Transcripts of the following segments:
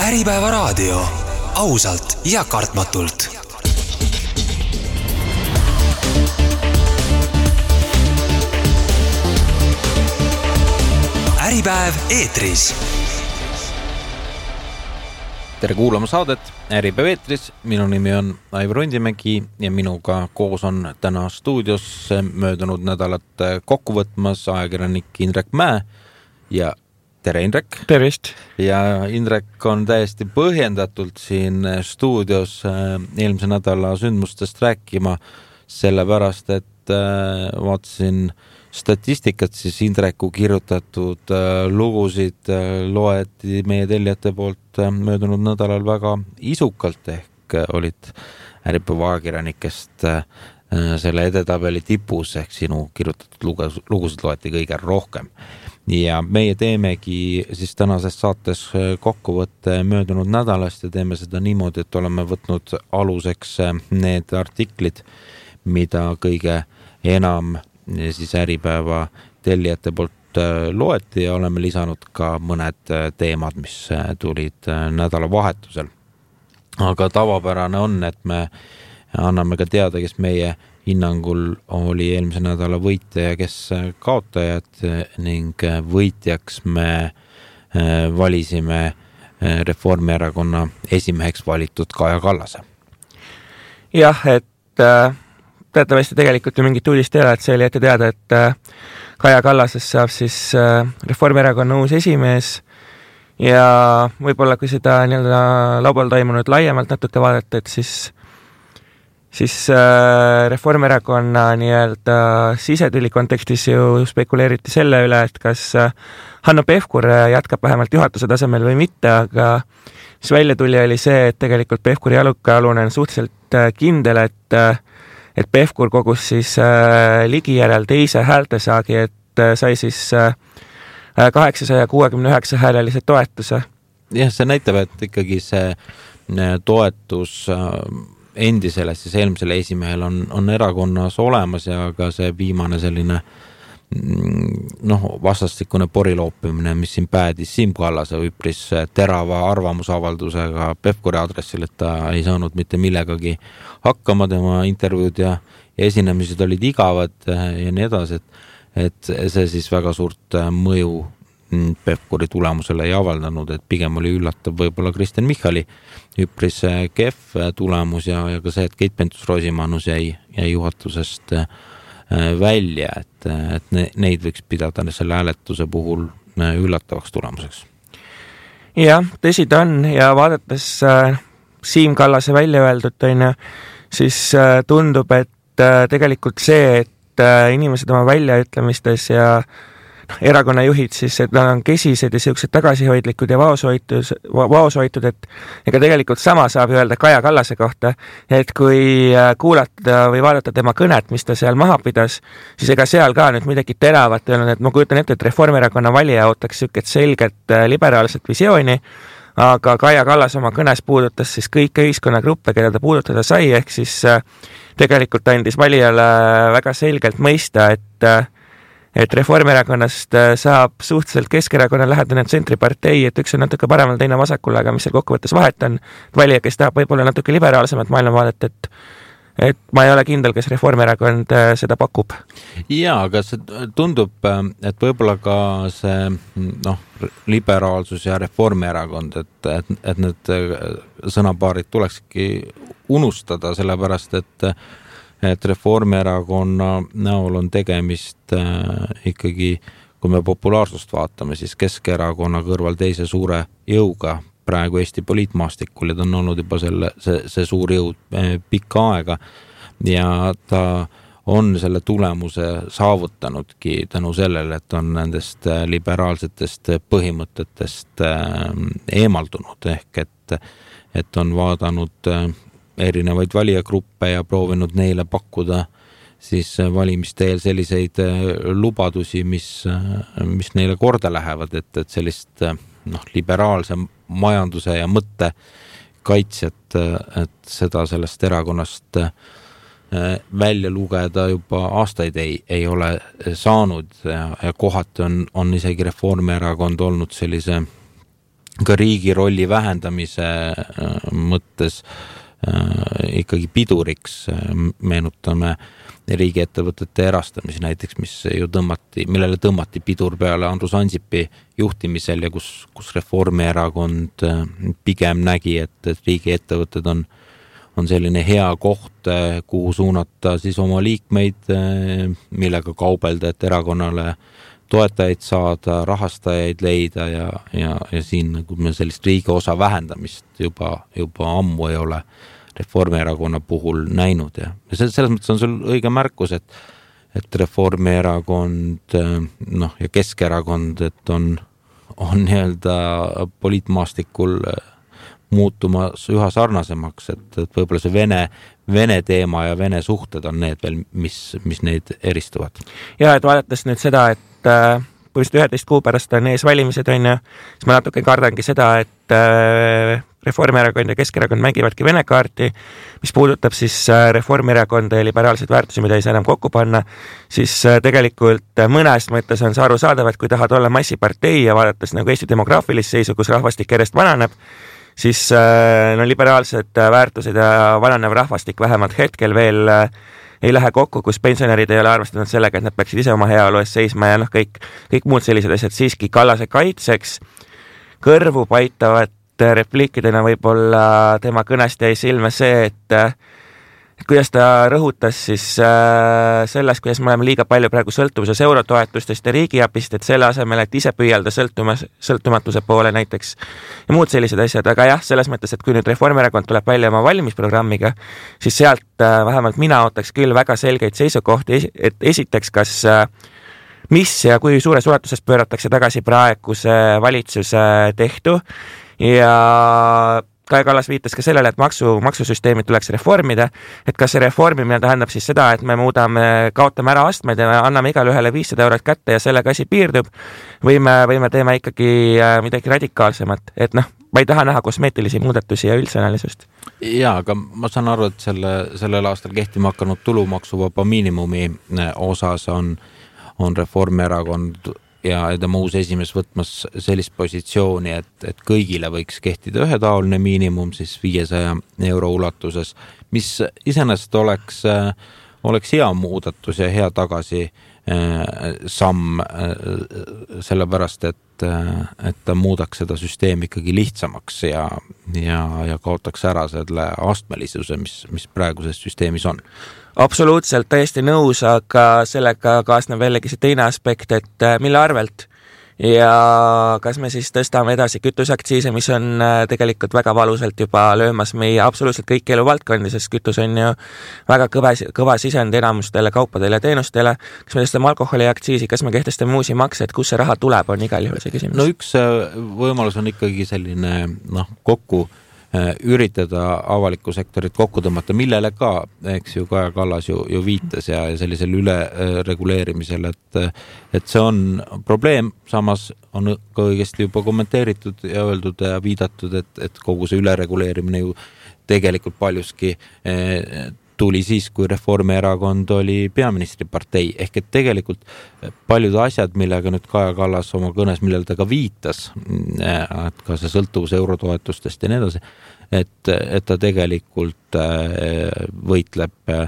Äripäeva raadio. Ausalt ja kartmatult. Äripäev eetris. Tere kuulama saadet Äripäev eetris. Minu nimi on Aivar Undimägi ja minuga koos on täna stuudios möödunud nädalat kokku võtmas ajakirjanik Indrek Mäe ja tere Indrek. Tervist. Ja Indrek on täiesti põhjendatult siin stuudios eelmise nädala sündmustest rääkima, sellepärast et vaatasin statistikat, siis Indreku kirjutatud lugusid loeti meie tellijate poolt möödunud nädalal väga isukalt, ehk olid Äripäeva ajakirjanikest selle edetabeli tipus, ehk sinu kirjutatud lugusid loeti kõige rohkem. Ja meie teemegi siis tänases saates kokkuvõtte möödunud nädalast ja teeme seda niimoodi, et oleme võtnud aluseks need artiklid, mida kõige enam siis Äripäeva tellijate poolt loeti ja oleme lisanud ka mõned teemad, mis tulid nädalavahetusel. Aga tavapärane on, et me anname ka teada, kes meie hinnangul oli eelmise nädala võitja ja kes kaotajad, ning võitjaks me valisime Reformierakonna esimeheks valitud Kaja Kallase. Jah, et teatavasti tegelikult ju mingit uudist ei ole, et see oli ette teada, et Kaja Kallasest saab siis Reformierakonna uus esimees ja võib-olla kui seda nii-öelda laubal toimunud laiemalt natuke vaadata, et siis Reformierakonna nii-öelda sisetüli kontekstis ju spekuleeriti selle üle, et kas Hanno Pevkur jätkab vähemalt juhatuse tasemel või mitte, aga mis välja tuli oli see, et tegelikult Pevkuri alune on suhteliselt kindel, et Pevkur kogus siis Ligi järel teise häältesaagi, et sai siis 869 häälelise toetuse. Jah, see näitab, et ikkagi see toetus endisele, siis eelmisele esimehel on erakonnas olemas ja ka see viimane selline vastastikune poriloopimine, mis siin päädis Siim Kallase üpris terava arvamusavaldusega Pevkuri aadressil, et ta ei saanud mitte millegagi hakkama, tema intervjuud ja esinemised olid igavad ja nii edasi, et see siis väga suurt mõju Pevkuri tulemusele ei avaldanud, et pigem oli üllatav võib-olla Kristen Michali üpris kehv tulemus ja ka see, et Keit Pentus-Rosimannus jäi juhatusest välja, et neid võiks pidada selle hääletuse puhul üllatavaks tulemuseks. Jah, tõsi ta on ja vaadates Siim Kallase välja öeldud, siis tundub, et tegelikult see, et inimesed oma väljaütlemistes ja erakonna juhid siis, et nad on kesised ja sellised tagasihoidlikud ja vaoshoitud, et ega tegelikult sama saab öelda Kaja Kallase kohta, et kui kuulata või vaadata tema kõnet, mis ta seal maha pidas, siis ega seal ka nüüd midagi teravat ei olnud, et ma kujutan ette, et Reformierakonna valija ootaks siuket selget liberaalset visiooni, aga Kaja Kallas oma kõnes puudutas siis kõike ühiskonnagruppe, keda ta puudutada sai, ehk siis tegelikult andis valijale väga selgelt mõista, et Reformierakonnast saab suhteliselt Keskerakonna lähedane tsentripartei, et üks on natuke paremal, teine vasakul, aga mis seal kokkuvõttes vahet on, valija, kes tahab võib-olla natuke liberaalsemat maailmavaadet, et ma ei ole kindel, kes Reformierakond seda pakub. Jaa, aga see tundub, et võib-olla ka see liberaalsus ja Reformierakond, et need sõnapaarid tulekski unustada, sellepärast et Reformierakonna näol on tegemist ikkagi, kui me populaarsust vaatame, siis Keskerakonna kõrval teise suure jõuga praegu Eesti poliitmaastikul ja ta on olnud juba see suur jõud pikka aega ja ta on selle tulemuse saavutanudki tänu sellele, et on nendest liberaalsetest põhimõtetest eemaldunud, ehk et on vaadanud erinevaid valijagruppe ja proovinud neile pakkuda siis valimiste eel selliseid lubadusi, mis neile korda lähevad, et sellist liberaalse majanduse ja mõtte kaitsjat, et seda sellest erakonnast välja lugeda juba aastaid ei ole saanud ja kohati on isegi Reformierakond olnud sellise ka riigi rolli vähendamise mõttes ikkagi piduriks. Meenutame riigiettevõtete erastamisi näiteks, millele tõmmati pidur peale Andrus Ansipi juhtimisel ja kus Reformierakond pigem nägi, et riigiettevõtted on selline hea koht, kuhu suunata siis oma liikmeid, millega kaubelda, et erakonnale toetajaid saada, rahastajaid leida ja siin nagu me sellist riigi osa vähendamist juba ammu ei ole Reformierakonna puhul näinud ja selles mõttes on sul õige märkus, et Reformierakond ja Keskerakond, et on nii-öelda poliitmaastikul muutumas üha sarnasemaks, et võib-olla see Vene teema ja Vene suhted on need veel, mis neid eristuvad. Ja, et vaadates nüüd seda, et põhimõtteliselt 11 kuu pärast on ees valimised, siis ma natuke kardangi seda, et Reformierakond ja Keskerakond mängivadki Vene kaarti, mis puudutab siis Reformierakonda ja liberaalseid väärtusi, mida ei saa enam kokku panna, siis tegelikult mõnes mõttes on see arusaadav, et kui tahad olla massipartei ja vaadates nagu Eesti demograafilist seisu, kus rahvastik järjest vananeb, siis liberaalsed väärtused ja vananev rahvastik vähemalt hetkel veel ei lähe kokku, kus pensionärid ei ole arvestanud sellega, et nad peaksid ise oma heaolu eest seisma ja kõik muud sellised asjad siiski Kallase kaitseks kõrvu paitavad repliikidena võib-olla tema kõnest jäi silme see, et kuidas ta rõhutas siis selles, kuidas me oleme liiga palju praegu sõltuvuses eurotoetustest ja riigiabist, et selle asemel, et ise püüelda sõltumatuse poole näiteks ja muud sellised asjad, aga jah, selles mõttes, et kui nüüd Reformierakond tuleb välja oma valimisprogrammiga, siis sealt vähemalt mina ootaks küll väga selgeid seisukohti, et esiteks, kas mis ja kui suures ulatuses pööratakse tagasi praeguse valitsuse tehtu ja Kaja Kallas viitas ka sellele, et maksusüsteemid tuleks reformida, et kas see reformimine tähendab siis seda, et me kaotame ära astmed ja anname igale ühele 500 eurot kätte ja sellega asi piirdub või me teeme ikkagi midagi radikaalsemat, et ma ei taha näha kosmeetilisi muudatusi ja üldsõnalisust. Jaa, aga ma saan aru, et sellel aastal kehtima hakanud tulumaksuvaba miinimumi osas on Reformierakond ja tema uus esimees võtmas sellist positsiooni, et kõigile võiks kehtida ühetaoline miinimum siis 500 euro ulatuses, mis iseenesest oleks hea muudatus ja hea tagasi samm sellepärast, et ta muudaks seda süsteemi ikkagi lihtsamaks ja kaotaks ära selle astmelisuse, mis praeguses süsteemis on. Absoluutselt täiesti nõus, aga sellega kaasneb jällegi see teine aspekt, et mille arvelt ja kas me siis tõstame edasi kütusaktsiise, mis on tegelikult väga valusalt juba löömas meie absoluutselt kõik eluvaldkondi, sest kütus on ju väga kõva sisend enamustele kaupadele ja teenustele. Kas me tõstame alkoholiaktsiisi, kas me kehtestame uusi makse, et kus see raha tuleb, on igal juhul see küsimus. No üks võimalus on ikkagi selline kokku üritada avalikku sektorit kokku tõmmata, millele ka, eks ju, Kaja Kallas ju viitas ja sellisel üle reguleerimisel, et see on probleem, samas on ka õigesti juba kommenteeritud ja öeldud ja viidatud, et kogu see ülereguleerimine ju tegelikult paljuski tuli siis, kui Reformierakond oli peaministripartei, ehk et tegelikult paljud asjad, millega nüüd Kaja Kallas oma kõnes, millele ta ka viitas, et ka see sõltuvus eurotoetustest ja nii edasi, et ta tegelikult võitleb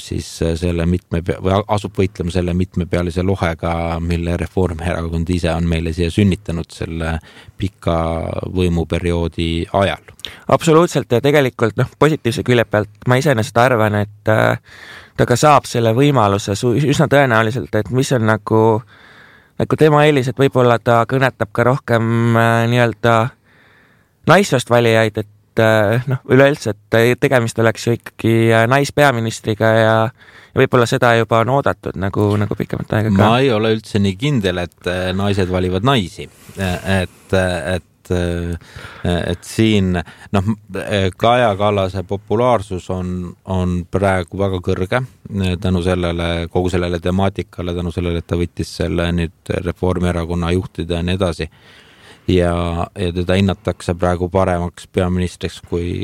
siis või asub võitlema selle mitmepealise lohega, mille Reformierakond ise on meile siia sünnitanud selle pika võimuperioodi ajal. Absoluutselt ja tegelikult positiivse külje pealt ma iseenesest arvan, et ta ka saab selle võimaluse üsna tõenäoliselt, et mis on nagu tema eelis, et võib-olla ta kõnetab ka rohkem nii-öelda naissoost valijaid, et üleüldse, et tegemist oleks ju ikkagi naispeaministriga ja võib-olla seda juba on oodatud nagu pikemat aega ka. Ma ei ole üldse nii kindel, et naised valivad naisi, et siin Kaja Kallase populaarsus on praegu väga kõrge tänu sellele, kogu sellele temaatikale, tänu sellele, et ta võttis selle nüüd Reformierakonna juhtida ja nii edasi. Ja teda hinnatakse praegu paremaks peaministriks kui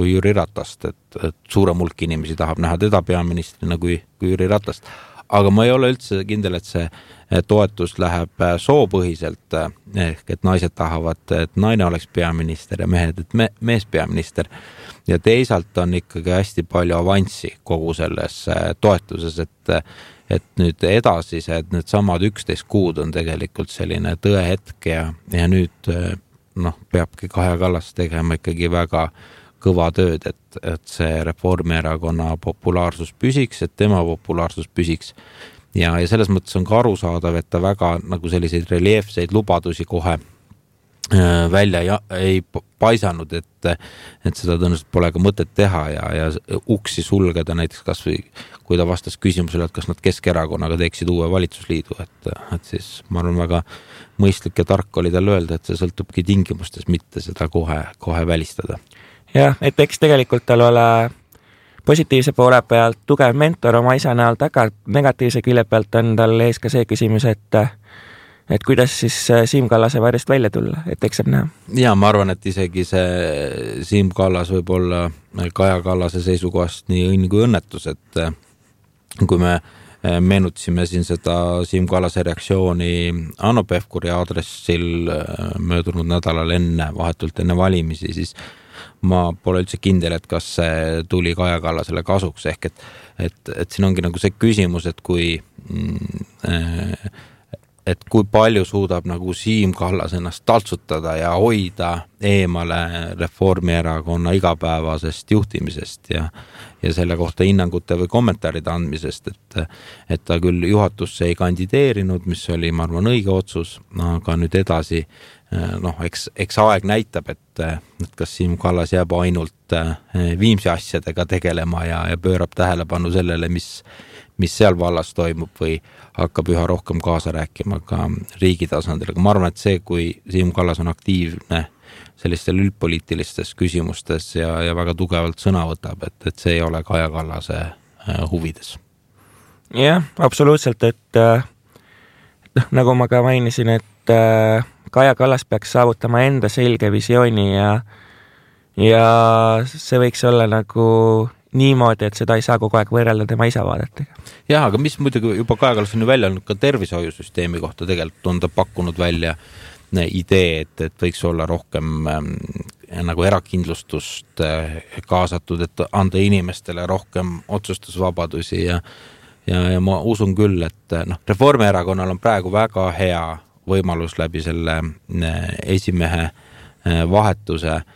Jüri Ratast, et suurem hulk inimesi tahab näha teda peaministrina kui Jüri Ratast. aga ma ei ole üldse kindel, et see toetus läheb soopõhiselt, ehk et naised tahavad, et naine oleks peaminister ja mehed, et mees peaminister. Ja teisalt on ikkagi hästi palju avanssi kogu selles toetuses, et nüüd edasised, need samad 11 kuud on tegelikult selline tõehetk ja nüüd peabki Kaja Kallas tegema ikkagi väga kõva tööd, et see Reformierakonna populaarsus püsiks, et tema populaarsus püsiks. Ja selles mõttes on ka arusaadav, et ta väga nagu selliseid reljeefseid lubadusi kohe välja ei paisanud, et seda tõenäoliselt pole ka mõtet teha ja uksi sulgeda näiteks kas või kui ta vastas küsimusele, et kas nad Keskerakonnaga teeksid uue valitsusliidu, et siis ma arvan väga mõistlik ja tark oli tal öelda, et see sõltubki tingimustes, mitte seda kohe välistada. Jah, et eks tegelikult tal ole positiivse poole pealt tugev mentor oma isa näol taga, negatiivse külje pealt on tal ees ka see küsimus, et kuidas siis Siim Kallase varjust välja tulla, et eks saab näha. Ja ma arvan, et isegi see Siim Kallas võib olla Kaja Kallase seisukohast nii õnn kui õnnetus, et kui me meenutasime siin seda Siim Kallase reaktsiooni Hanno Pevkuri aadressil möödunud nädalal vahetult enne valimisi, siis ma pole üldse kindel, et kas see tuli Kaja Kallasele kasuks, ehk et siin ongi nagu see küsimus, et kui palju suudab nagu Siim Kallas ennast taltsutada ja hoida eemale Reformierakonna igapäevasest juhtimisest ja selle kohta hinnangute või kommentaaride andmisest, et ta küll juhatusse ei kandideerinud, mis oli, ma arvan, õige otsus, aga nüüd edasi, eks aeg näitab, et kas Siim Kallas jääb ainult Viimsi asjadega tegelema ja pöörab tähelepanu sellele, mis seal vallas toimub või hakkab üha rohkem kaasa rääkima ka riigi tasandil. Aga ma arvan, et see, kui Siim Kallas on aktiivne sellistel üldpoliitilistes küsimustes ja väga tugevalt sõna võtab, et see ei ole Kaja Kallase huvides. Jah, absoluutselt, et nagu ma ka mainisin, et Kaja Kallas peaks saavutama enda selge visiooni ja see võiks olla nagu niimoodi, et seda ei saa kogu aeg võrrelda tema isa vaadetega. Jah, aga mis muidugi juba Kaja Kallas on ju välja olnud ka tervishoiusüsteemi kohta, tegelikult on ta pakkunud välja idee, et võiks olla rohkem nagu erakindlustust kaasatud, et anda inimestele rohkem otsustusvabadusi ja ma usun küll, et Reformierakonnal on praegu väga hea võimalus läbi selle esimehe vahetuse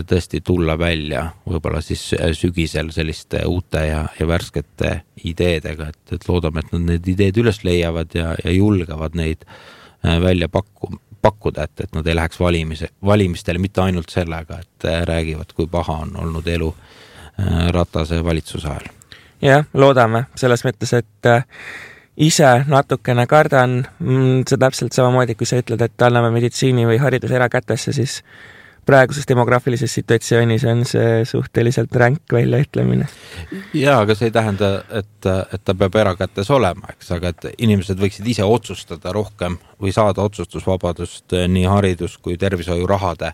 tõesti tulla välja võib-olla siis sügisel selliste uute ja värskete ideedega, et loodame, et nad need ideed üles leiavad ja julgevad neid välja pakkuda, et nad ei läheks valimistele mitte ainult sellega, et räägivad, kui paha on olnud elu Ratase valitsuse ajal. Jah, loodame selles mõttes, et ise natukene kardan, see täpselt samamoodi, kui sa ütled, et anname meditsiini või haridus erakätesse, siis praeguses demograafilises situatsioonis on see suhteliselt ränk väljaütlemine. Jaa, aga see ei tähenda, et ta peab erakätes olema, eks, aga et inimesed võiksid ise otsustada rohkem või saada otsustusvabadust nii haridus kui tervishoiurahade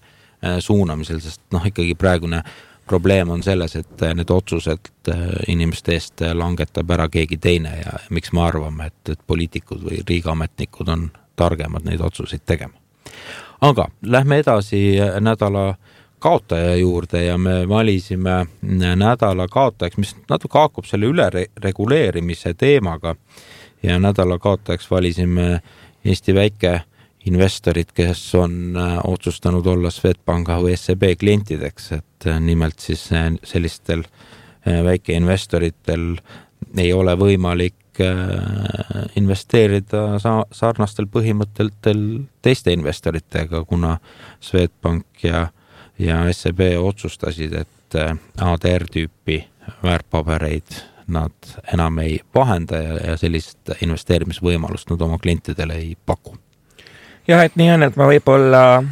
suunamisel, sest ikkagi praegune probleem on selles, et need otsused inimeste eest langetab ära keegi teine ja miks me arvame, et poliitikud või riigiametnikud on targemad neid otsuseid tegema. Aga lähme edasi nädala kaotaja juurde ja me valisime nädala kaotajaks, mis natuke haakub selle ülereguleerimise teemaga ja nädala kaotajaks valisime Eesti väikeinvestorid, kes on otsustanud olla Swedbanka või SEB klientideks, et nimelt siis sellistel väikeinvestoritel ei ole võimalik investeerida sarnastel põhimõttel teiste investoritega, kuna Swedbank ja SEB otsustasid, et ADR-tüüpi väärtpabereid nad enam ei vahenda ja sellist investeerimisvõimalust nad oma klientidele ei paku. Jah, et nii on, et ma võib-olla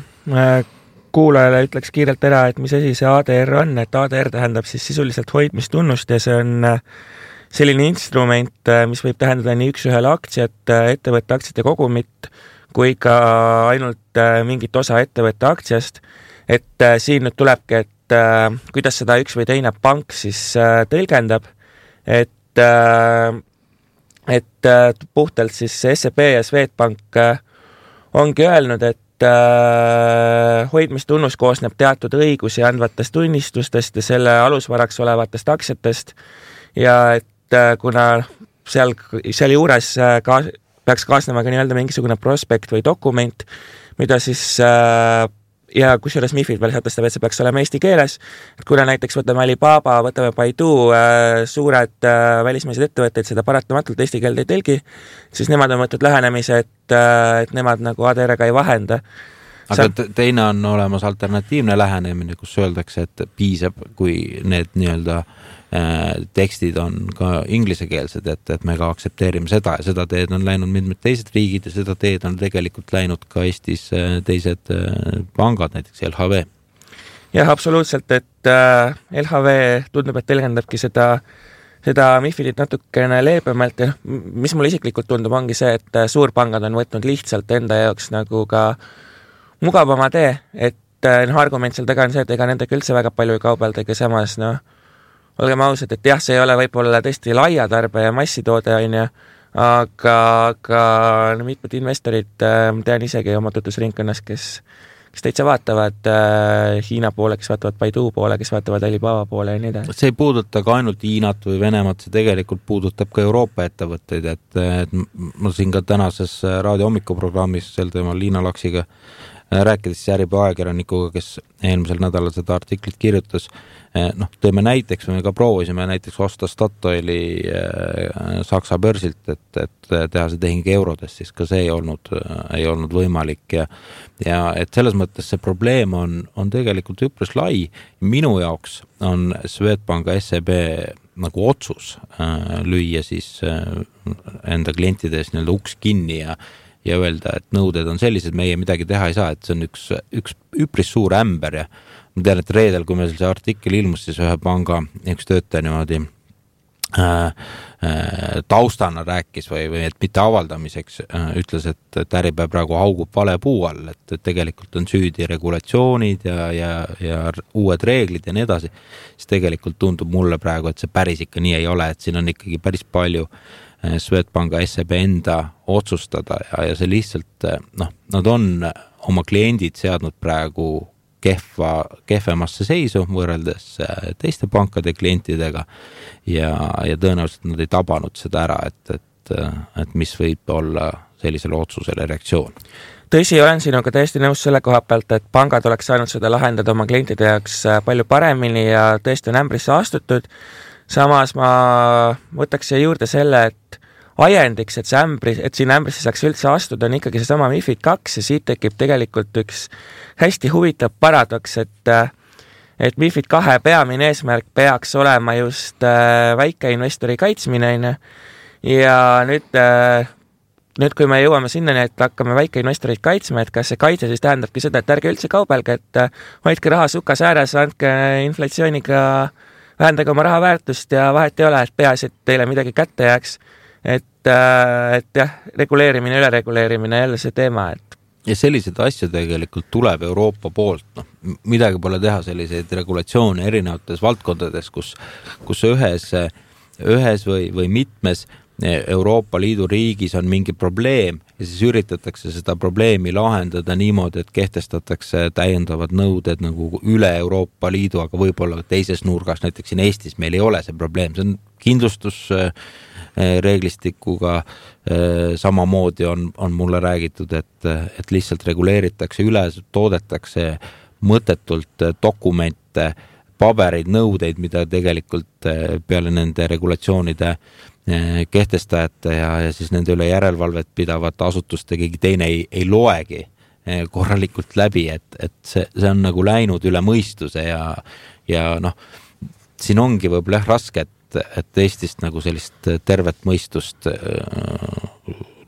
kuulajale ütleks kiirelt ära, et mis asi see ADR on, et ADR tähendab siis sisuliselt hoidmistunnust ja see on selline instrument, mis võib tähendada nii üks-ühele aktsiat, ettevõtte aktsiate kogumit, kui ka ainult mingit osa ettevõtte aktsiast. Et siin nüüd tulebki, et kuidas seda üks või teine pank siis tõlgendab, et et puhtalt siis SEB ja Swedbank ongi öelnud, et hoidmistunnus koosneb teatud õigusi andvatest tunnistustest ja selle alusvaraks olevatest aktsiatest ja et kuna seal juures peaks kaasnema ka nii-öelda mingisugune prospekt või dokument, mida siis ja kusjuures MIFID veel sätestab, et see peaks olema eesti keeles, et kuna näiteks võtame Alibaba, võtame Baidu, suured välismaised ettevõtteid seda paratamatult eesti keelde ei tõlgi, siis nemad on võtnud lähenemise, et nemad nagu ADR-ga ei vahenda. Aga teine on olemas alternatiivne lähenemine, kus öeldakse, et piisab, kui need nii-öelda tekstid on ka inglisekeelsed, et me ka aktsepteerime seda ja seda teed on läinud mitmed teised riigid ja seda teed on tegelikult läinud ka Eestis teised pangad, näiteks LHV. Jah, absoluutselt, et LHV tundub, et tõlgendabki seda MIFIDit natukene leebemalt ja mis mulle isiklikult tundub, ongi see, et suurpangad on võtnud lihtsalt enda jaoks nagu ka mugavama tee, et argument seal taga on see, et ega nendega üldse väga palju ei kaubelda, samas olgem ausad, et jah, see ei ole võib-olla tõesti laia tarbe ja massitoode, aga mitmed investorid, tean isegi oma tutvusringkonnas, kes täitsa vaatavad Hiina poole, kes vaatavad Baidu poole, kes vaatavad Alibaba poole ja nii edasi. See ei puuduta ka ainult Hiinat või Venemaad, see tegelikult puudutab ka Euroopa ettevõtteid, et ma siin ka tänases raadio hommikuprogrammis sel teemal Liina Laksiga rääkides Järjepea ajakirjanikuga, kes eelmisel nädalal seda artiklit kirjutas, teeme näiteks, me ka proovisime näiteks osta Statoili Saksa börsilt, et teha see tehing eurodes, siis ka see ei olnud võimalik ja et selles mõttes see probleem on tegelikult üpris lai. Minu jaoks on Swedbanka SEB nagu otsus lüüa siis enda klientides nii-öelda uks kinni ja öelda, et nõuded on sellised, meie midagi teha ei saa, et see on üks üpris suur ämber ja ma tean, et reedel, kui meil see artikkel ilmus, siis ühe panga üks töötaja niimoodi taustana rääkis või et mitte avaldamiseks ütles, et Äripäev praegu haugub vale puu all, et tegelikult on süüdi regulatsioonid ja uued reeglid ja nii edasi, siis tegelikult tundub mulle praegu, et see päris ikka nii ei ole, et siin on ikkagi päris palju Swedbanka SEB enda otsustada ja see lihtsalt, nad on oma kliendid seadnud praegu kehvemasse seisu võrreldes teiste pankade klientidega ja tõenäoliselt nad ei tabanud seda ära, et mis võib olla sellisele otsusele reaktsioon. Tõsi, olen sinuga täiesti nõus selle koha pealt, et pangad oleks saanud seda lahendada oma klientide jaoks palju paremini ja tõesti on ämbrisse astutud. Samas ma võtaks siia juurde selle, et ajendiks, et siin ämbrisse saaks üldse astuda, on ikkagi seesama MIFID 2 ja siit tekib tegelikult üks hästi huvitav paradoks, et MIFID 2 peamine eesmärk peaks olema just väikeinvestori kaitsmine ja nüüd kui me jõuame sinnani, et hakkame väikeinvestorid kaitsma, et kas see kaitse siis tähendabki seda, et ärge üldse kaubelge, et hoidke raha sukas ääres, andke inflatsiooniga, vähendage oma raha väärtust ja vahet ei ole, et peaasi, et teile midagi kätte jääks. Et jah, reguleerimine, ülereguleerimine jälle see teema, et ja sellised asju tegelikult tuleb Euroopa poolt, midagi pole teha, selliseid regulatsioone erinevates valdkondades, kus ühes või mitmes Euroopa Liidu riigis on mingi probleem ja siis üritatakse seda probleemi lahendada niimoodi, et kehtestatakse täiendavad nõuded nagu üle Euroopa Liidu, aga võib-olla teises nurgas, näiteks siin Eestis meil ei ole see probleem, see on kindlustusreeglistikuga samamoodi on mulle räägitud, et lihtsalt reguleeritakse üle, toodetakse mõttetult dokumente, pabereid, nõudeid, mida tegelikult peale nende regulatsioonide kehtestajate ja siis nende üle järelevalvet pidavate asutuste keegi teine ei loegi korralikult läbi, et see on nagu läinud üle mõistuse ja siin ongi võib-olla raske, et Eestist nagu sellist tervet mõistust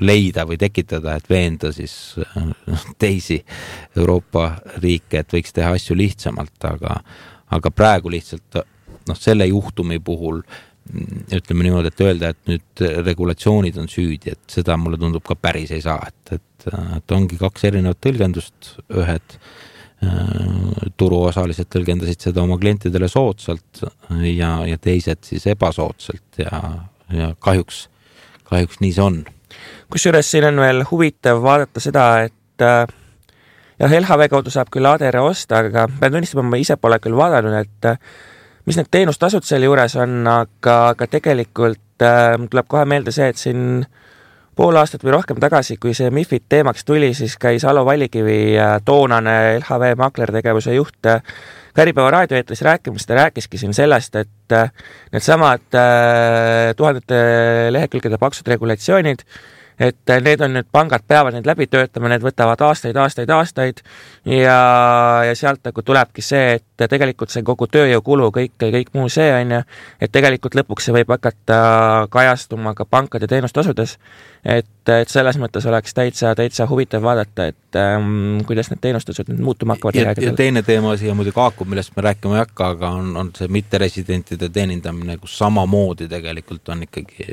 leida või tekitada, et veenda siis teisi Euroopa riike, et võiks teha asju lihtsamalt, aga praegu lihtsalt selle juhtumi puhul ütleme niimoodi, et öelda, et nüüd regulatsioonid on süüdi, et seda mulle tundub ka päris ei saa, et ongi kaks erinevat tõlgendust, ühed turuosalised tõlgendasid seda oma klientidele soodsalt ja teised siis ebasoodsalt ja kahjuks nii see on. Kusjuures siin on veel huvitav vaadata seda, et jah, LHV kaudu saab küll ADR osta, aga pean tunnistama, ma ise pole küll vaadanud, et mis need teenustasud selle juures on, aga tegelikult tuleb kohe meelde see, et siin pool aastat või rohkem tagasi, kui see MIFID teemaks tuli, siis käis Alo Vallikivi toonane LHV maklertegevuse juht Äripäeva raadioeetris rääkimas, ta rääkiski siin sellest, et need samad tuhandete lehekülgede paksud regulatsioonid, et need on nüüd, pangad peavad need läbi töötama, need võtavad aastaid ja sealt nagu tulebki see, et tegelikult see kogu tööjõukulu, kõik muu see on ju, et tegelikult lõpuks see võib hakata kajastuma ka pankade teenustasudes, et selles mõttes oleks täitsa huvitav vaadata, et kuidas need teenustasud nüüd muutuma hakkavad. Ja teine teema siia muidugi haakub, millest me rääkima ei hakka, aga on see mitteresidentide teenindamine, kus samamoodi tegelikult on ikkagi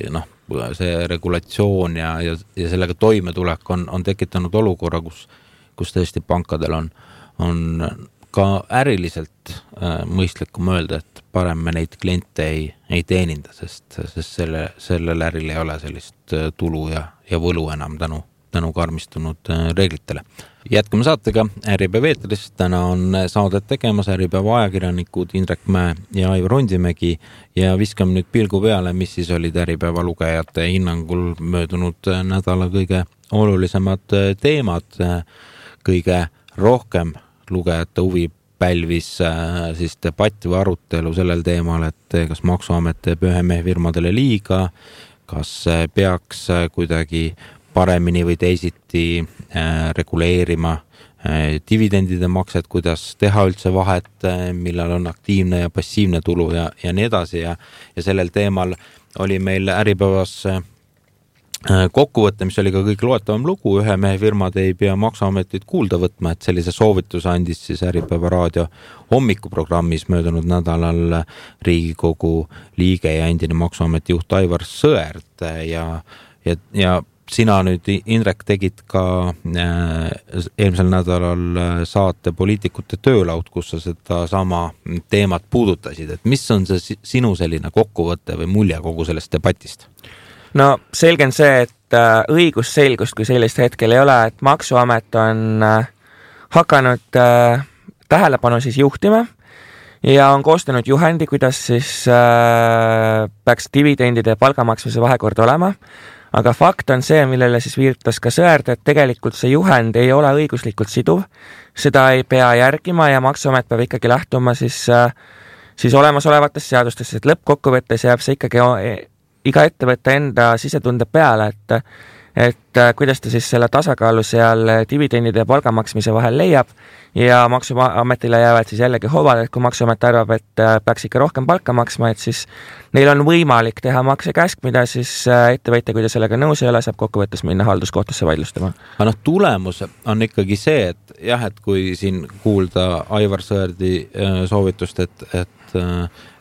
see regulatsioon ja sellega toimetulek on tekitanud olukorra, kus tõesti pankadel on ka äriliselt mõistlikum öelda, et parem me neid kliente ei teeninda, sest sellel äril ei ole sellist tulu ja võlu enam tänu karmistunud reeglitele. Jätkame saatega Äripäeva eetris. Täna on saadet tegemas Äripäeva ajakirjanikud Indrek Mäe ja Aivar Ondimägi ja viskame nüüd pilgu peale, mis siis olid Äripäeva lugejate hinnangul möödunud nädala kõige olulisemad teemad. Kõige rohkem lugejate huvi pälvis siis debatt või arutelu sellel teemal, et kas Maksuamet teeb ühe mehe firmadele liiga, kas peaks kuidagi paremini või teisiti reguleerima dividendide makset, kuidas teha üldse vahet, millal on aktiivne ja passiivne tulu ja nii edasi ja sellel teemal oli meil Äripäevas kokkuvõte, mis oli ka kõik loetavam lugu, ühe mehe firmad ei pea Maksuametit kuulda võtma, et sellise soovituse andis siis Äripäeva raadio hommikuprogrammis möödunud nädalal Riigikogu liige ja endine Maksuameti juht Aivar Sõerd ja sina nüüd, Indrek, tegid ka eelmisel nädalal saate Poliitikute töölaud, kus sa seda sama teemat puudutasid, et mis on see sinu selline kokkuvõte või mulje kogu sellest debatist? No selge on see, et õigusselgust kui sellist hetkel ei ole, et Maksuamet on hakanud tähelepanu siis juhtima ja on koostanud juhendi, kuidas siis peaks dividendide ja palgamaksmise vahekord olema. Aga fakt on see, millele siis viitas ka Sõerd, et tegelikult see juhend ei ole õiguslikult siduv, seda ei pea järgima ja Maksuamet peab ikkagi lähtuma siis olemasolevatest seadustest, et lõppkokkuvõttes jääb see ikkagi iga ettevõtte enda sisetunde peale, et kuidas ta siis selle tasakaalu seal dividendide ja palgamaksmise vahel leiab ja Maksuametile jäävad siis jällegi hoovad, et kui Maksuamet arvab, et peaks ikka rohkem palka maksma, et siis neil on võimalik teha maksekäsk, mida siis ettevõtja, kui ta sellega nõus ei ole, saab kokkuvõttes minna halduskohtusse vaidlustama. Aga tulemus on ikkagi see, et jah, et kui siin kuulda Aivar Sõerdi soovitust, et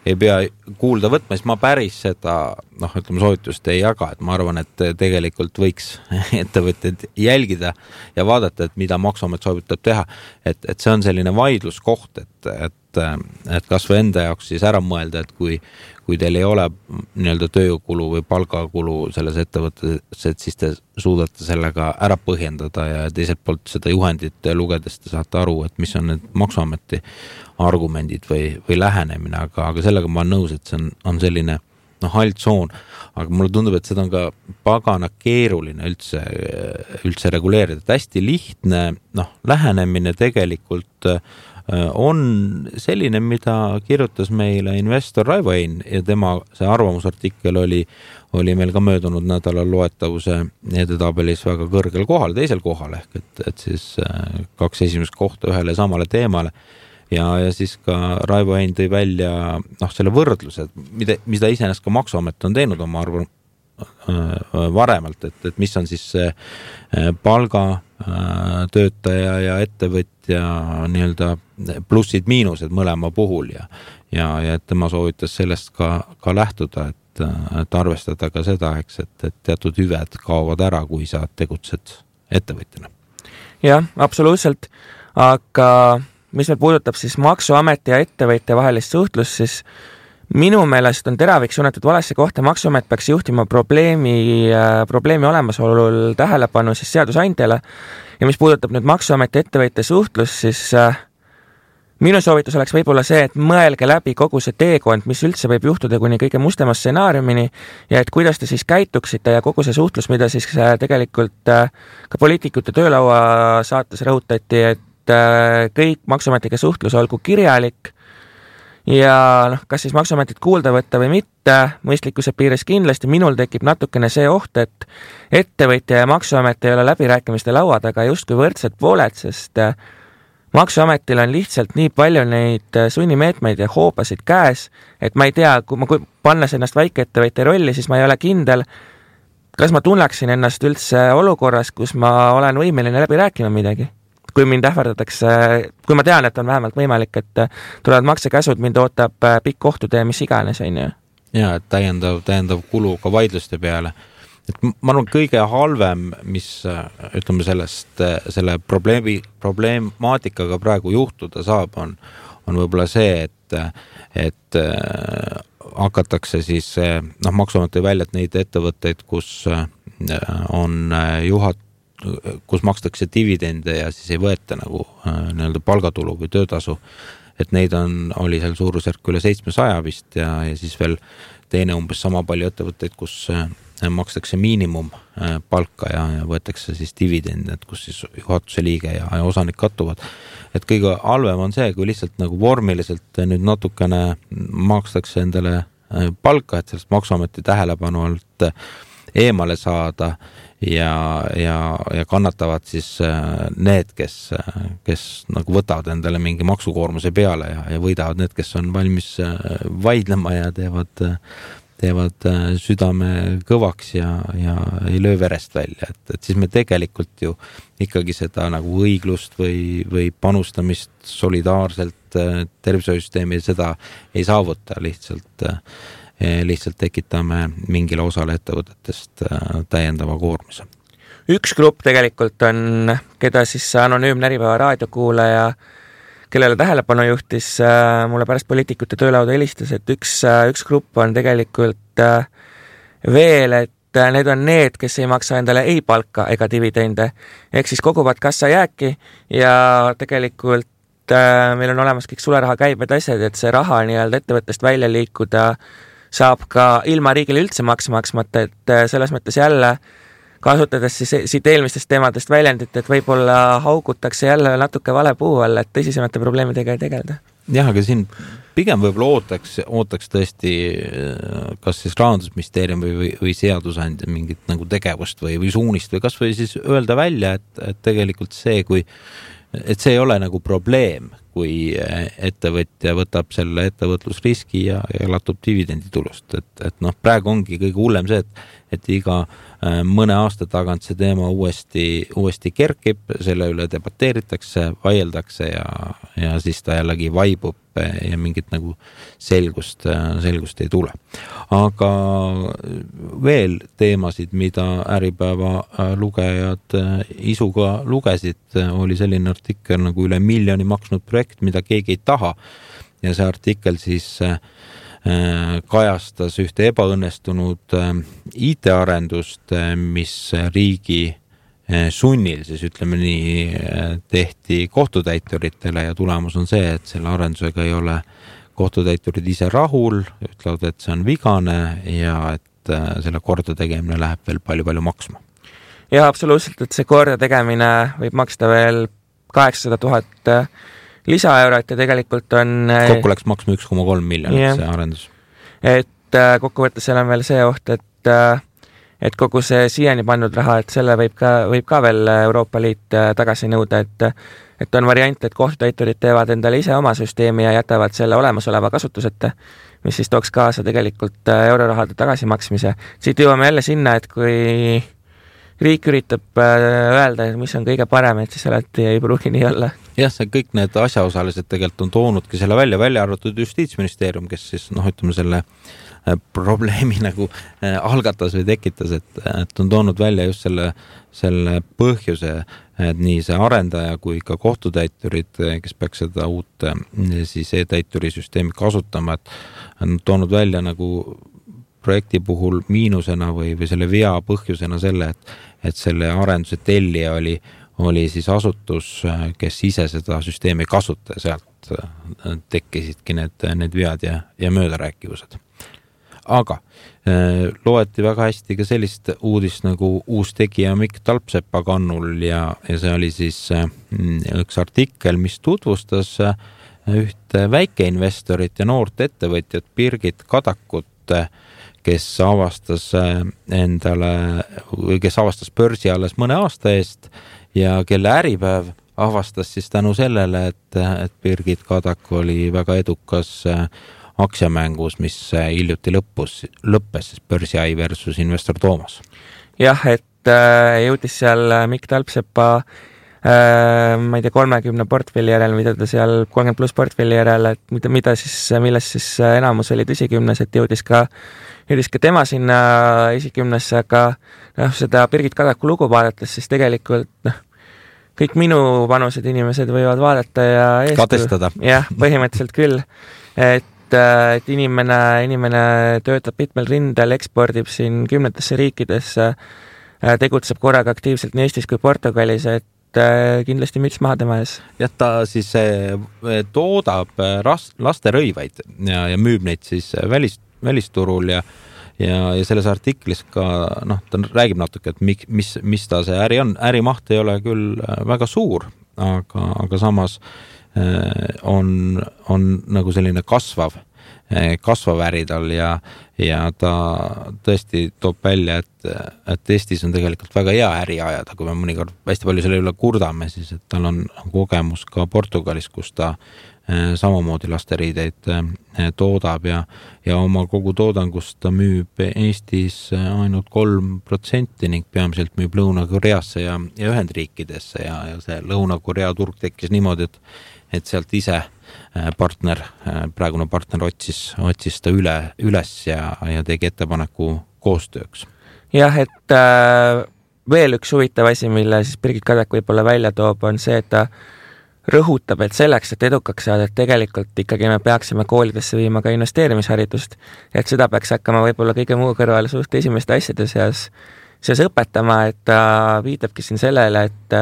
ei pea kuulda võtma, siis ma päris seda soovitust ei jaga, et ma arvan, et tegelikult võiks ettevõtted jälgida ja vaadata, et mida Maksuamet soovitab teha, et see on selline vaidluskoht, et kas või enda jaoks siis ära mõelda, et kui teil ei ole nii-öelda tööjõukulu või palgakulu selles ettevõttes, et siis te suudate sellega ära põhjendada ja teiselt poolt seda juhendit lugedes te saate aru, et mis on need Maksuameti argumendid või lähenemine, aga sellega ma olen nõus, et see on selline hall tsoon, aga mulle tundub, et seda on ka pagana keeruline üldse reguleerida. Hästi lihtne lähenemine tegelikult on selline, mida kirjutas meile investor Raivo Ein ja tema see arvamusartikkel oli meil ka möödunud nädalal loetavuse edetabelis väga kõrgel kohal, teisel kohal ehk et siis 2 esimest kohta ühele samale teemale. Ja siis ka Raivo Ein tõi välja selle võrdluse, mida iseenesest ka Maksuamet on teinud oma varemalt, et mis on siis palga töötaja ja ettevõtja nii-öelda plussid-miinused mõlema puhul ja tema soovitas sellest ka lähtuda, et arvestada ka seda, et teatud hüved kaovad ära, kui sa tegutsed ettevõtjana. Jah, absoluutselt, aga mis meil puudutab siis Maksuameti ja ettevõtja vahelist suhtlust, siis minu meelest on teravik suunatud valesse kohta, Maksuamet peaks juhtima probleemi olemasolul tähelepanu siis seadusandjale ja mis puudutab nüüd Maksuameti ettevõtja suhtlus, siis minu soovitus oleks võib-olla see, et mõelge läbi kogu see teekond, mis üldse võib juhtuda kuni kõige mustema stsenaariumini ja et kuidas te siis käituksite ja kogu see suhtlus, mida siis tegelikult ka poliitikute töölaua saates rõhutati, et kõik Maksuametiga suhtlus olgu kirjalik ja kas siis Maksuametit kuulda võtta või mitte, mõistlikkuse piires kindlasti minul tekib natukene see oht, et ettevõtja ja Maksuamet ei ole läbirääkimiste laua taga justkui võrdsed pooled, sest Maksuametil on lihtsalt nii palju neid sunnimeetmeid ja hoobasid käes, et ma ei tea, kui pannes ennast väikeettevõtja rolli, siis ma ei ole kindel, kas ma tunneksin ennast üldse olukorras, kus ma olen võimeline läbi rääkima midagi. Kui mind ähvardatakse, kui ma tean, et on vähemalt võimalik, et tulevad maksekäsud, mind ootab pikk kohtutee, mis iganes, on ju. Ja, et täiendav kulu ka vaidluste peale. Et ma arvan, kõige halvem, mis ütleme selle probleemaatikaga praegu juhtuda saab, on võib-olla see, et hakatakse siis, Maksuamet tõi välja, et neid ettevõtteid, kus on kus makstakse dividende ja siis ei võeta nagu nii-öelda palgatulu või töötasu, et neid oli seal suurusjärk üle 700 vist ja siis veel teine umbes sama palju ettevõtteid, kus makstakse miinimumpalka ja võetakse siis dividende, et kus siis juhatuse liige ja osanik kattuvad. Et kõige halvem on see, kui lihtsalt nagu vormiliselt nüüd natukene makstakse endale palka, et sellest Maksuameti tähelepanu alt eemale saada ja kannatavad siis need, kes nagu võtavad endale mingi maksukoormuse peale ja võidavad need, kes on valmis vaidlema ja teevad südame kõvaks ja ei löö verest välja. Et siis me tegelikult ju ikkagi seda nagu õiglust või panustamist solidaarselt tervishoiusüsteemi seda ei saavuta, lihtsalt tekitame mingile osale ettevõtetest täiendava koormuse. Üks grupp tegelikult on, keda siis anonüümne Äripäeva raadiokuulaja, kellele tähelepanu juhtis mulle pärast poliitikute töölauda helistas, et üks grupp on tegelikult veel, et need on need, kes ei maksa endale ei palka ega dividende, ehk siis koguvad kassajääki ja tegelikult meil on olemas kõik sularaha käibed asjad, et see raha nii-öelda ettevõttest välja liikuda saab ka ilma riigile üldse maksmata, et selles mõttes jälle kasutades siis siit eelmistest teemadest väljendit, et võib-olla haugutakse jälle natuke vale puu all, et tõsisemate probleemidega ei tegelda. Jah, aga siin pigem võib-olla ootaks tõesti kas siis Rahandusministeerium või seadusandja mingit nagu tegevust või suunist või kas või siis öelda välja, et tegelikult see, et see ei ole nagu probleem, kui ettevõtja võtab selle ettevõtlusriski ja latub dividenditulust. Et praegu ongi kõige hullem see, et iga mõne aasta tagant see teema uuesti kerkib, selle üle debateeritakse, vaieldakse ja siis ta jällegi vaibub ja mingit nagu selgust ei tule. Aga veel teemasid, mida Äripäeva lugejad isuga lugesid, oli selline artikkel nagu üle 1 miljoni maksnud projekt, mida keegi ei taha ja see artikkel siis kajastas ühte ebaõnnestunud IT-arendust, mis riigi sunnil, siis ütleme nii, tehti kohtutäituritele ja tulemus on see, et selle arendusega ei ole kohtutäiturid ise rahul, ütlevad, et see on vigane ja et selle korda tegemine läheb veel palju maksma. Ja absoluutselt, et see korda tegemine võib maksta veel 800 000 lisaeurot ja tegelikult on kokku läks maksma 1,3 miljonit see arendus. Et kokkuvõttes seal on veel see oht, et kogu see siiani pandud raha, et selle võib ka veel Euroopa Liit tagasi nõuda, et on variant, et kohtutäiturid teevad endale ise oma süsteemi ja jätavad selle olemasoleva kasutuseta, mis siis tooks kaasa tegelikult eurorahade tagasimaksmise. Siit jõuame jälle sinna, et kui riik üritab öelda, mis on kõige parem, et siis alati ei pruugi nii olla. Jah, see kõik need asjaosalised tegelikult on toonudki selle välja arvatud Justiitsministeerium, kes siis ütleme selle probleemi nagu algatas või tekitas, et on toonud välja just selle põhjuse, et nii see arendaja kui ka kohtutäiturid, kes peaks seda uut siis e-täituri süsteemi kasutama, et on toonud välja nagu projekti puhul miinusena või selle vea põhjusena selle, et selle arenduse tellija oli siis asutus, kes ise seda süsteemi kasuta ja sealt tekkisidki need vead ja möödarääkivused. Aga loeti väga hästi ka sellist uudist nagu uus tegija Mikk Talpsepa kannul ja see oli siis üks artikkel, mis tutvustas ühte väikeinvestorit ja noort ettevõtjat Birgit Kadakut, kes avastas börsi alles mõne aasta eest ja kelle Äripäev avastas siis tänu sellele, et Birgit Kadak oli väga edukas aktsiamängus, mis hiljuti lõppes siis Börsi.ai versus Investor Toomas. Jah, et jõudis seal Mikk Talpsepa ma ei tea, 30 portfelli järel, mida ta seal 30+ portfelli järel, et milles siis enamus oli tõsikümnes, et jõudis ka tema sinna esikümnesse, aga seda Birgit Kadaku lugu vaadates, siis tegelikult kõik minu vanused inimesed võivad vaadata ja kadestada. Jah, põhimõtteliselt küll, et inimene töötab mitmel rindel, ekspordib siin 10 riikidesse, tegutseb korraga aktiivselt nii Eestis kui Portugalis, et kindlasti müts maha tema ees. Jah, ta siis toodab lasterõivaid ja müüb neid siis välisturul ja selles artiklis ka, ta räägib natuke, et mis ta see äri on. Ärimaht ei ole küll väga suur, aga samas on nagu selline kasvav äri tal ja ta tõesti toob välja, et Eestis on tegelikult väga hea äri ajada, kui me mõnikord hästi palju selle üle kurdame, siis et tal on kogemus ka Portugalis, kus ta samamoodi lasteriideid toodab ja oma kogu toodangust ta müüb Eestis ainult 3% ning peamiselt müüb Lõuna-Koreasse ja Ühendriikidesse ja see Lõuna-Korea turg tekkis niimoodi, et sealt ise praegune partner otsis ta üles ja tegi ettepaneku koostööks. Jah, et veel üks huvitav asi, mille siis Birgit Kadak võib-olla välja toob, on see, et ta rõhutab, et selleks, et edukaks saada, et tegelikult ikkagi me peaksime koolidesse viima ka investeerimisharidust, et seda peaks hakkama võib-olla kõige muu kõrval suht esimeste asjade seas õpetama, et ta viitabki siin sellele, et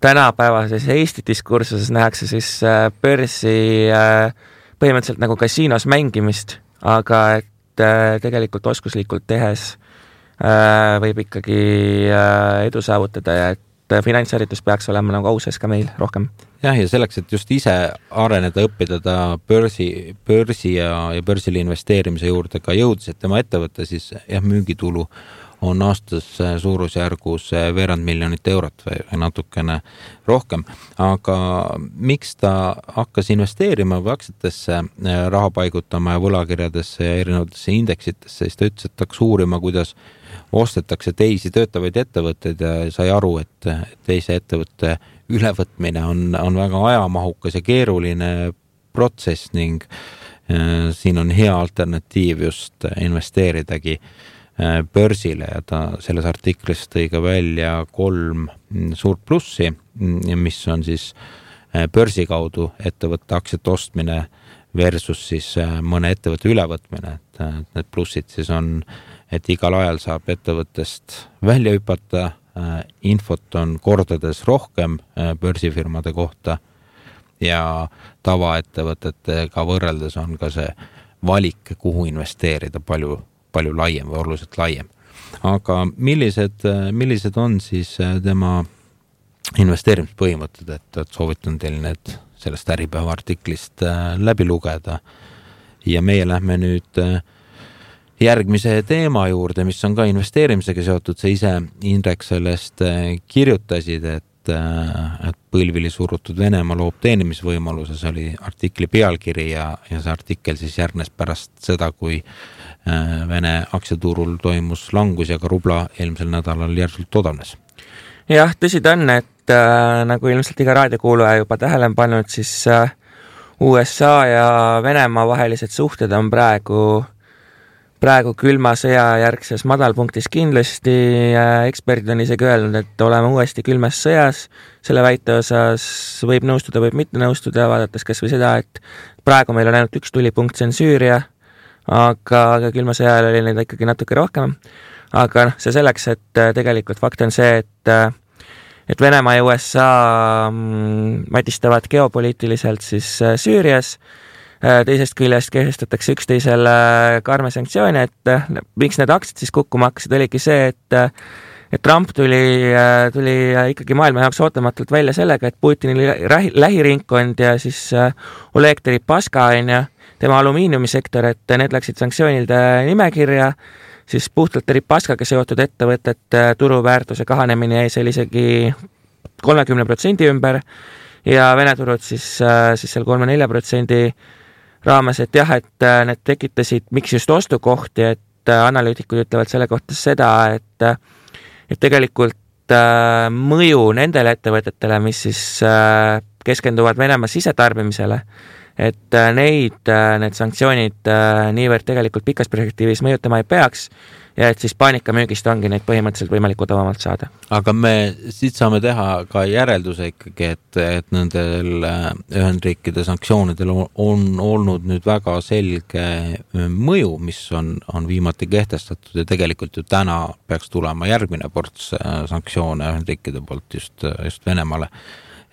tänapäevases Eesti diskursuses nähakse siis börsi põhimõtteliselt nagu kasiinos mängimist, aga et tegelikult oskuslikult tehes võib ikkagi edu saavutada ja et finantsharidus peaks olema nagu ausas ka meil rohkem. Jah, ja selleks, et just ise areneda, õppida ta börsi ja börsile investeerimise juurde ka jõudis, et tema ettevõte siis müügitulu on aastas suurusjärgus veerand miljonit eurot või natukene rohkem. Aga miks ta hakkas investeerima või aktsiatesse raha paigutama ja võlakirjadesse ja erinevatesse indeksitesse, siis ta ütles, et hakkas uurima, kuidas ostetakse teisi töötavaid ettevõtteid ja sai aru, et teise ettevõtte ülevõtmine on väga ajamahukas ja keeruline protsess ning siin on hea alternatiiv just investeeridagi börsile ja ta selles artiklis tõi ka välja 3 suurt plussi, mis on siis börsi kaudu ettevõtte aktsiate ostmine versus siis mõne ettevõtte ülevõtmine. Need plussid siis on, et igal ajal saab ettevõttest välja hüpata, infot on kordades rohkem börsifirmade kohta ja tavaettevõtetega võrreldes on ka see valik, kuhu investeerida palju laiem või oluliselt laiem. Aga millised on siis tema investeerimispõhimõtted, et soovitan teil need sellest Äripäeva artiklist läbi lugeda. Ja meie lähme nüüd järgmise teema juurde, mis on ka investeerimisega seotud. Sa ise, Indrek, sellest kirjutasid, et põlvili surutud Venemaa loob teenimisvõimaluse, see oli artikli pealkiri ja see artikkel siis järgnes pärast seda, kui Vene aktsiaturul toimus langus ja ka rubla eelmisel nädalal järsult odavnes. Jah, tõsi ta on, et nagu ilmselt iga raadiokuulaja juba tähele on pannud, siis USA ja Venemaa vahelised suhted on praegu külma sõja järgses madalpunktis kindlasti. Eksperdid on isegi öelnud, et oleme uuesti külmas sõjas. Selle väite osas võib nõustuda, võib mitte nõustuda, vaadates kas või seda, et praegu meil on ainult üks tulipunkt, see on Süüria, aga külma sõja ajal oli neid ikkagi natuke rohkem. Aga see selleks, et tegelikult fakt on see, et Venemaa ja USA matistavad geopoliitiliselt siis Süürias. Teisest küljest kehtestatakse üksteisele karme sanktsioone, et miks need aktsiad siis kukkuma hakkasid, oligi see, et Trump tuli ikkagi maailma jaoks ootamatult välja sellega, et Putini lähiringkond ja siis Oleg Deripaska tema alumiiniumisektor, et need läksid sanktsioonide nimekirja, siis puhtalt Deripaskaga seotud ettevõtet turuväärtuse kahanemine jäi seal isegi 30% ümber ja Vene turud siis seal 3-4% raames, et jah, et need tekitasid, miks just ostukohti, et analüütikud ütlevad selle kohta seda, et tegelikult mõju nendele ettevõtetele, mis siis keskenduvad Venemaa sisetarbimisele, et need sanktsioonid niivõrd tegelikult pikas perspektiivis mõjutama ei peaks ja et siis paanikamüügist ongi neid põhimõtteliselt võimalik odavamalt saada. Aga me siit saame teha ka järelduse ikkagi, et nendel Ühendriikide sanktsioonidel on olnud nüüd väga selge mõju, mis on viimati kehtestatud ja tegelikult ju täna peaks tulema järgmine ports sanktsioone Ühendriikide poolt just Venemaale,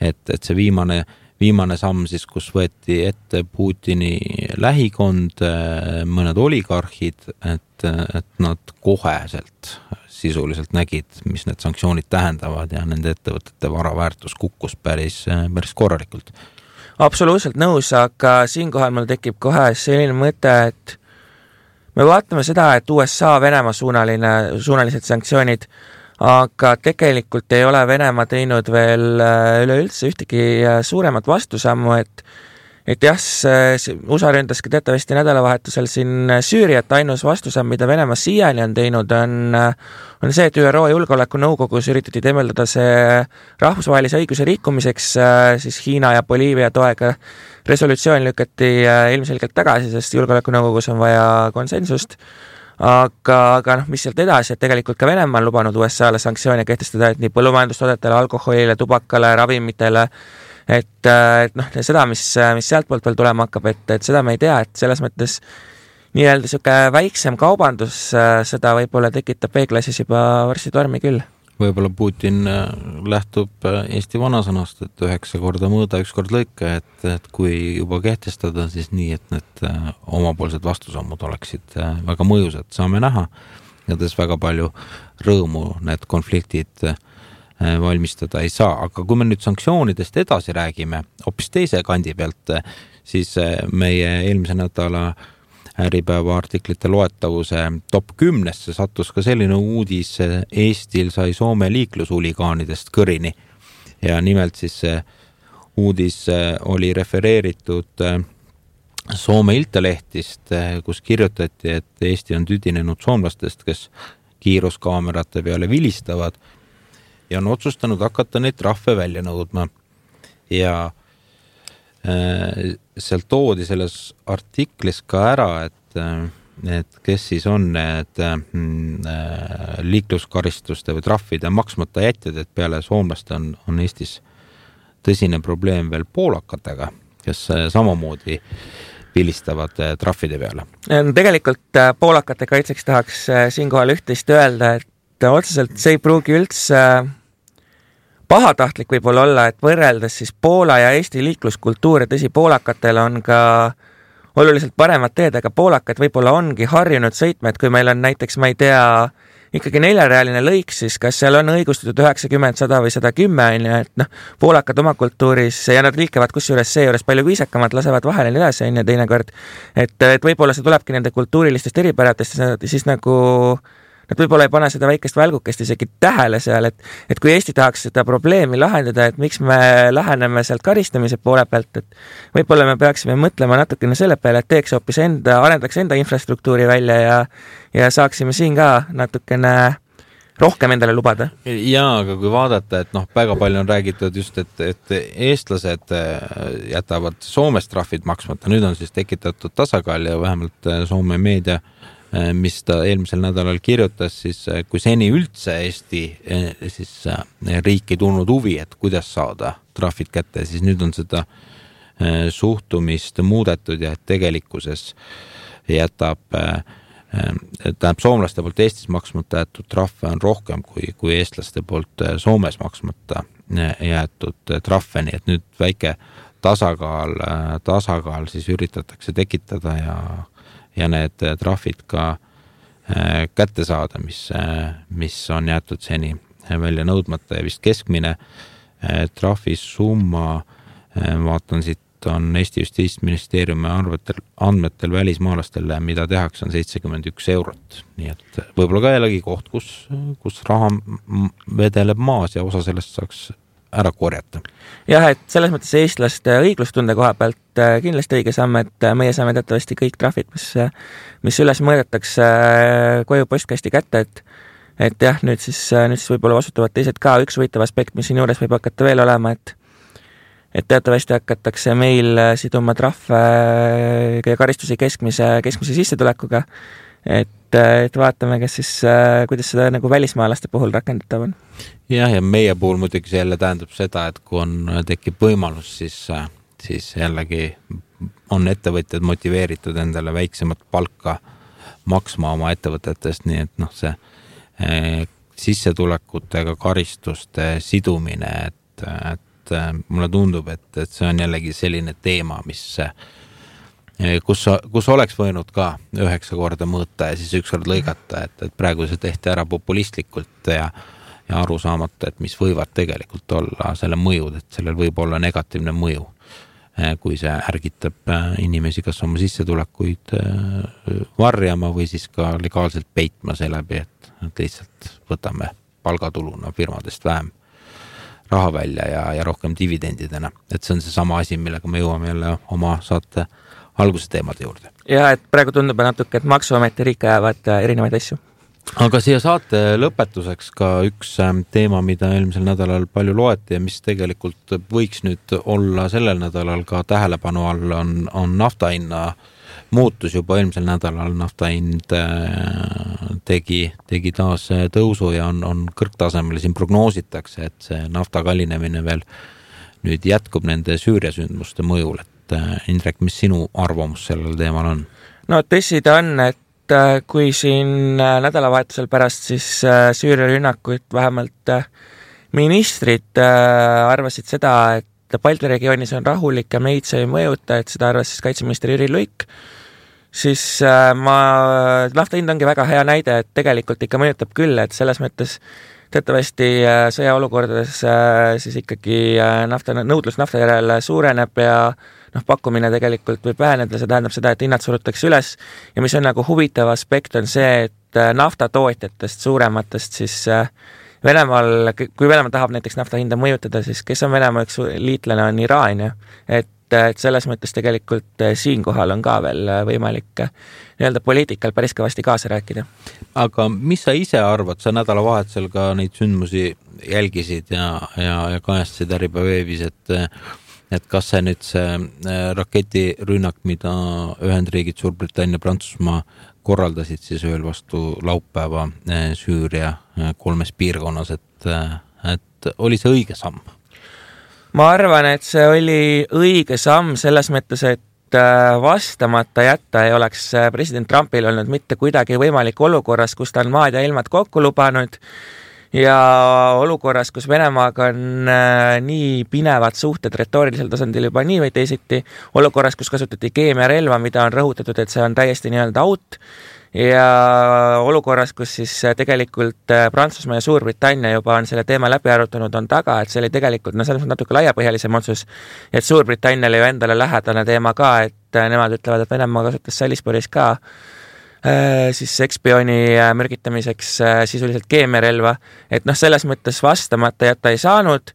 et see viimane samm siis, kus võeti ette Putini lähikond, mõned oligarhid, et nad koheselt sisuliselt nägid, mis need sanktsioonid tähendavad ja nende ettevõtete varaväärtus kukkus päris korralikult. Absoluutselt nõus, aga siinkohal mul tekib kohe selline mõte, et me vaatame seda, et USA Venemaa suunalised sanktsioonid, aga tegelikult ei ole Venemaa teinud veel üleüldse ühtegi suuremat vastusammu, et jah, USA ründaski teatavasti nädalavahetusel siin Süüriat, ainus vastusamm, mida Venemaa siiani on teinud, on see, et ÜRO Julgeolekunõukogus üritati temeldada see rahvusvahelise õiguse rikkumiseks, siis Hiina ja Boliivia toega resolutsioon lükati ilmselgelt tagasi, sest Julgeolekunõukogus on vaja konsensust. Aga mis sealt edasi, et tegelikult ka Venemaa on lubanud USA-le sanktsioone kehtestada, et nii põllumajandustoodetele, alkoholile, tubakale, ravimitele, et seda, mis sealt poolt veel tulema hakkab, et seda me ei tea, et selles mõttes nii-öelda siuke väiksem kaubandus, seda võib-olla tekitab B-klassis juba varsti tormi küll. Võib-olla Putin lähtub Eesti vanasõnast, et 9 korda mõõda, 1 kord lõika, et kui juba kehtestada, siis nii, et need omapoolsed vastusammud oleksid väga mõjusad. Saame näha ja tões väga palju rõõmu need konfliktid valmistada ei saa. Aga kui me nüüd sanktsioonidest edasi räägime, hoopis teise kandi pealt, siis meie eelmise nädala Äripäeva artiklite loetavuse top 10 sattus ka selline uudis, Eestil sai Soome liiklushuligaanidest kõrini ja nimelt siis see uudis oli refereeritud Soome Iltalehtist, kus kirjutati, et Eesti on tüdinenud soomlastest, kes kiiruskaamerate peale vilistavad ja on otsustanud hakata neid trahve välja nõudma ja seal toodi selles artiklis ka ära, et kes siis on need liikluskaristuste või trahvide maksmata jätjad, et peale soomlaste on Eestis tõsine probleem veel poolakatega, kes samamoodi vilistavad trahvide peale. Tegelikult poolakate kaitseks tahaks siinkohal üht-teist öelda, et otseselt see ei pruugi üldse pahatahtlik võib-olla olla, et võrreldes siis Poola ja Eesti liikluskultuur, tõsi, poolakatel on ka oluliselt paremad teed, aga poolakad võib-olla ongi harjunud sõitma, et kui meil on näiteks, ma ei tea, ikkagi 4-realine lõik, siis kas seal on õigustatud 90, 100 või 110, et poolakad oma kultuuris ja nad liikevad kusjuures seejuures palju viisakamad, lasevad vahele nii edasi, teinekord, et võib-olla see tulebki nende kultuurilistest eripäratest, siis nagu nad võib-olla ei pane seda väikest välgukest isegi tähele seal, et kui Eesti tahaks seda probleemi lahendada, et miks me läheneme sealt karistamise poole pealt, et võib-olla me peaksime mõtlema natukene selle peale, et teeks hoopis arendaks enda infrastruktuuri välja ja saaksime siin ka natukene rohkem endale lubada. Jaa, aga kui vaadata, et väga palju on räägitud just, et eestlased jätavad Soomes trahvid maksmata, nüüd on siis tekitatud tasakaal ja vähemalt Soome meedia, mis ta eelmisel nädalal kirjutas, siis kui seni üldse Eesti siis riik ei tulnud huvi, et kuidas saada trahvid kätte, siis nüüd on seda suhtumist muudetud ja et tegelikkuses jätab soomlaste poolt Eestis maksmata jäetud trahve on rohkem kui eestlaste poolt Soomes maksmata jäetud trahve, nii et nüüd väike tasakaal siis üritatakse tekitada ja need trahvid ka kätte saada, mis on jäetud seni välja nõudmata ja vist keskmine trahvisumma, vaatan siit, on Eesti Justiitsministeeriumi andmetel välismaalastele, mida tehakse, on 71 eurot. Nii et võib-olla ka jällegi koht, kus raha vedeleb maas ja osa sellest saaks ära korjata. Jah, et selles mõttes eestlaste õiglustunde koha pealt kindlasti õige samm, et meie saame teatavasti kõik trahvid, mis üles mõõdetakse koju postkasti kätte, et jah, nüüd siis võib-olla vastutavad teised ka. Üks huvitav aspekt, mis siin juures võib hakata veel olema, et teatavasti hakatakse meil siduma trahve ja karistusi keskmise sissetulekuga, et vaatame, kuidas seda nagu välismaalaste puhul rakendatav on. Jah, ja meie puhul muidugi see jälle tähendab seda, et kui tekib võimalus, siis jällegi on ettevõtjad motiveeritud endale väiksemat palka maksma oma ettevõtetest, nii et see sissetulekutega karistuste sidumine, et mulle tundub, et see on jällegi selline teema, kus oleks võinud ka 9 korda mõõta ja siis 1 kord lõigata, et praegu see tehti ära populistlikult ja aru saamata, et mis võivad tegelikult olla selle mõjud, et sellel võib olla negatiivne mõju, kui see ärgitab inimesi kas oma sissetulekuid varjama või siis ka legaalselt peitma seeläbi, et lihtsalt võtame palgatuluna firmadest vähem raha välja ja rohkem dividendidena. Et see on see sama asi, millega me jõuame jälle oma saate alguse teemade juurde. Ja, et praegu tundub natuke, et Maksuamet ja riik ajavad erinevaid asju. Aga siia saate lõpetuseks ka üks teema, mida eelmisel nädalal palju loeti ja mis tegelikult võiks nüüd olla sellel nädalal ka tähelepanu all, on naftahinna muutus juba eelmisel nädalal. Naftahind tegi taas tõusu ja on kõrgtasemel. Siin prognoositakse, et see nafta kallinemine veel nüüd jätkub nende Süüria sündmuste mõjul. Et Indrek, mis sinu arvamus sellel teemal on? No tõsi ta on, et kui siin nädalavahetusel pärast siis Süüria rünnakuid vähemalt ministrid arvasid seda, et Balti regioonis on rahulik ja meid see ei mõjuta, et seda arvas siis kaitseminister Jüri Luik, siis nafta hind ongi väga hea näide, et tegelikult ikka mõjutab küll, et selles mõttes teatavasti sõjaolukordades siis ikkagi nõudlus nafta järele suureneb ja pakkumine tegelikult võib väheneda, see tähendab seda, et hinnad surutakse üles ja mis on nagu huvitav aspekt on see, et naftatootjatest suurematest siis Venemaal, kui Venemaa tahab näiteks nafta hinda mõjutada, siis kes on Venemaa üks liitlane on Iraan, et selles mõttes tegelikult siinkohal on ka veel võimalik nii-öelda poliitikal päris kõvasti kaasa rääkida. Aga mis sa ise arvad, sa nädalavahetusel ka neid sündmusi jälgisid ja kajastasid Äripäevis, et kas see nüüd see raketirünnak, mida Ühendriigid, Suurbritannia, Prantsusmaa korraldasid siis ööl vastu laupäeva Süüria 3 piirkonnas, et oli see õige samm? Ma arvan, et see oli õige samm selles mõttes, et vastamata jätta ei oleks president Trumpil olnud mitte kuidagi võimalik olukorras, kus ta on maad ja ilmad kokku lubanud ja olukorras, kus Venemaaga on nii pinevad suhted retoorilisel tasandil juba nii või teisiti, olukorras, kus kasutati keemiarelva, mida on rõhutatud, et see on täiesti nii-öelda out ja olukorras, kus siis tegelikult Prantsusmaa ja Suurbritannia juba on selle teema läbi arutanud, on taga, et see oli tegelikult selles mõttes natuke laiapõhjalisem otsus, et Suurbritanniale ju endale lähedane teema ka, et nemad ütlevad, et Venemaa kasutas Salisbury's ka siis ekspiooni mürgitamiseks sisuliselt keemiarelva, et selles mõttes vastamata jätta ei saanud.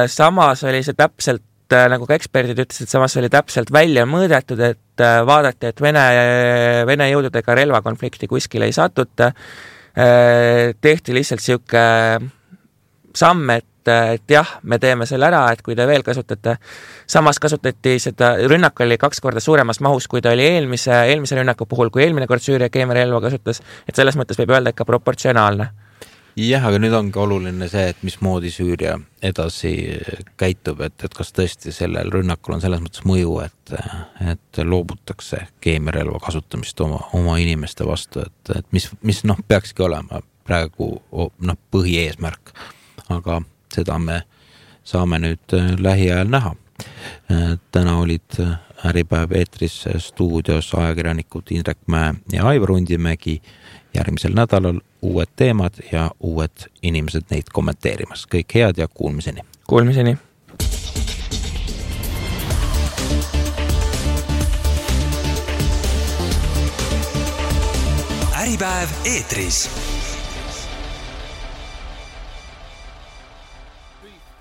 Samas oli see täpselt, nagu ka eksperdid ütlesid, samas oli täpselt välja mõõdetud, et vaadati, et Vene jõududega relvakonflikti kuskil ei satuta. Tehti lihtsalt siuke samm, et jah, me teeme selle ära, et kui te veel kasutate, samas kasutati seda, rünnak oli 2 korda suuremas mahus, kui ta oli eelmise rünnaku puhul, kui eelmine kord Süüria keemiarelva kasutas, et selles mõttes võib öelda ikka proportsionaalne. Jah, aga nüüd ongi oluline see, et mismoodi Süüria edasi käitub, et kas tõesti sellel rünnakul on selles mõttes mõju, et loobutakse keemiarelva kasutamist oma inimeste vastu, et mis peakski olema praegu põhieesmärk, aga seda me saame nüüd lähiajal näha. Täna olid Äripäev eetris stuudios ajakirjanikud Indrek Mäe ja Aivar Undimägi. Järgmisel nädalal uued teemad ja uued inimesed neid kommenteerimas. Kõik head ja kuulmiseni. Kuulmiseni. Äripäev eetris.